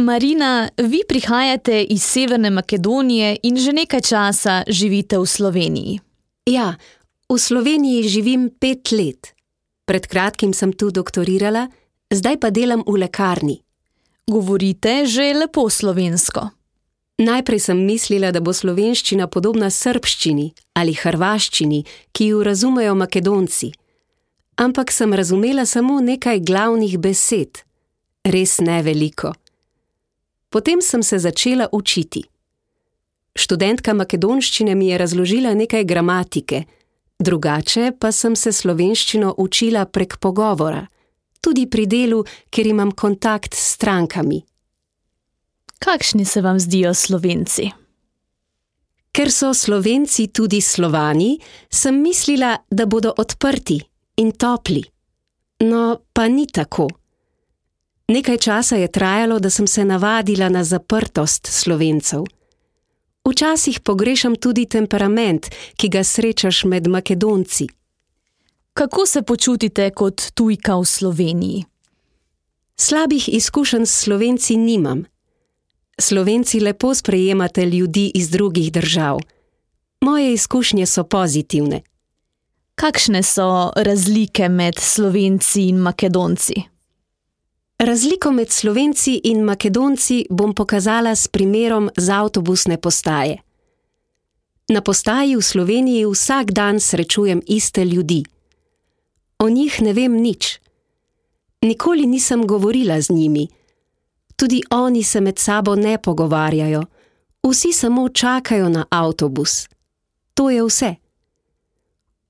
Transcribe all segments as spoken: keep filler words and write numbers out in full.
Marina, vi prihajate iz Severne Makedonije in že nekaj časa živite v Sloveniji. Ja, v Sloveniji živim pet let. Pred kratkim sem tu doktorirala, zdaj pa delam v lekarni. Govorite že lepo slovensko. Najprej sem mislila, da bo slovenščina podobna srbščini ali hrvaščini, ki jo razumejo Makedonci. Ampak sem razumela samo nekaj glavnih besed. Res ne veliko. Potem sem se začela učiti. Študentka makedonščine mi je razložila nekaj gramatike, drugače pa sem se slovenščino učila prek pogovora, tudi pri delu, kjer imam kontakt s strankami. Kakšni se vam zdijo Slovenci? Ker so Slovenci tudi Slovani, sem mislila, da bodo odprti in topli. No, pa ni tako. Nekaj časa je trajalo, da sem se navadila na zaprtost Slovencev. Včasih pogrešam tudi temperament, ki ga srečaš med Makedonci. Kako se počutite kot tujka v Sloveniji? Slabih izkušenj s Slovenci nimam. Slovenci lepo sprejemate ljudi iz drugih držav. Moje izkušnje so pozitivne. Kakšne so razlike med Slovenci in Makedonci? Razliko med Slovenci in Makedonci bom pokazala s primerom z avtobusne postaje. Na postaji v Sloveniji vsak dan srečujem iste ljudi. O njih ne vem nič. Nikoli nisem govorila z njimi. Tudi oni se med sabo ne pogovarjajo. Vsi samo čakajo na avtobus. To je vse.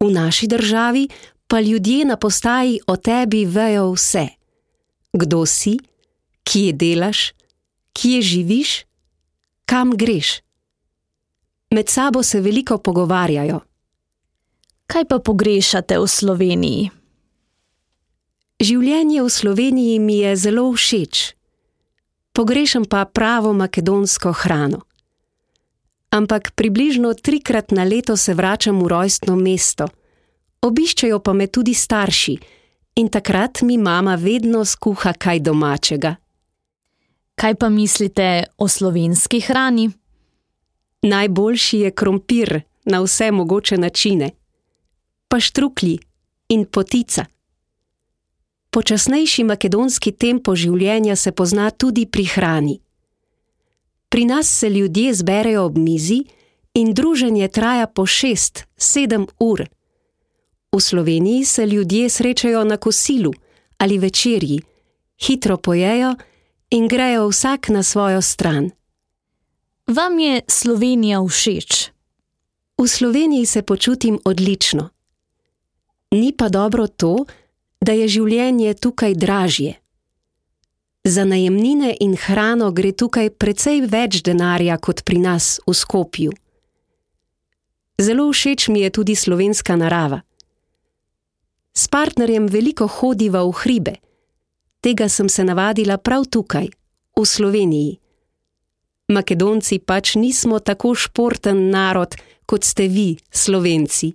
V naši državi pa ljudje na postaji o tebi vejo vse. Kdo si, kje delaš, kje živiš, kam greš. Med sabo se veliko pogovarjajo. Kaj pa pogrešate v Sloveniji? Življenje v Sloveniji mi je zelo všeč. Pogrešam pa pravo makedonsko hrano. Ampak približno trikrat na leto se vračam v rojstno mesto. Obiščejo pa me tudi starši in takrat mi mama vedno skuha kaj domačega. Kaj pa mislite o slovenski hrani? Najboljši je krompir na vse mogoče načine. Pa štruklji in potica. Počasnejši makedonski tempo življenja se pozna tudi pri hrani. Pri nas se ljudje zberejo ob mizi in druženje traja po šest, sedem ur. V Sloveniji se ljudje srečajo na kosilu ali večerji, hitro pojejo in grejo vsak na svojo stran. Vam je Slovenija všeč? V Sloveniji se počutim odlično. Ni pa dobro to, da je življenje tukaj dražje. Za najemnine in hrano gre tukaj precej več denarja kot pri nas v Skopju. Zelo všeč mi je tudi slovenska narava. S partnerjem veliko hodiva v hribe. Tega sem se navadila prav tukaj, v Sloveniji. Makedonci pač nismo tako športen narod, kot ste vi, Slovenci.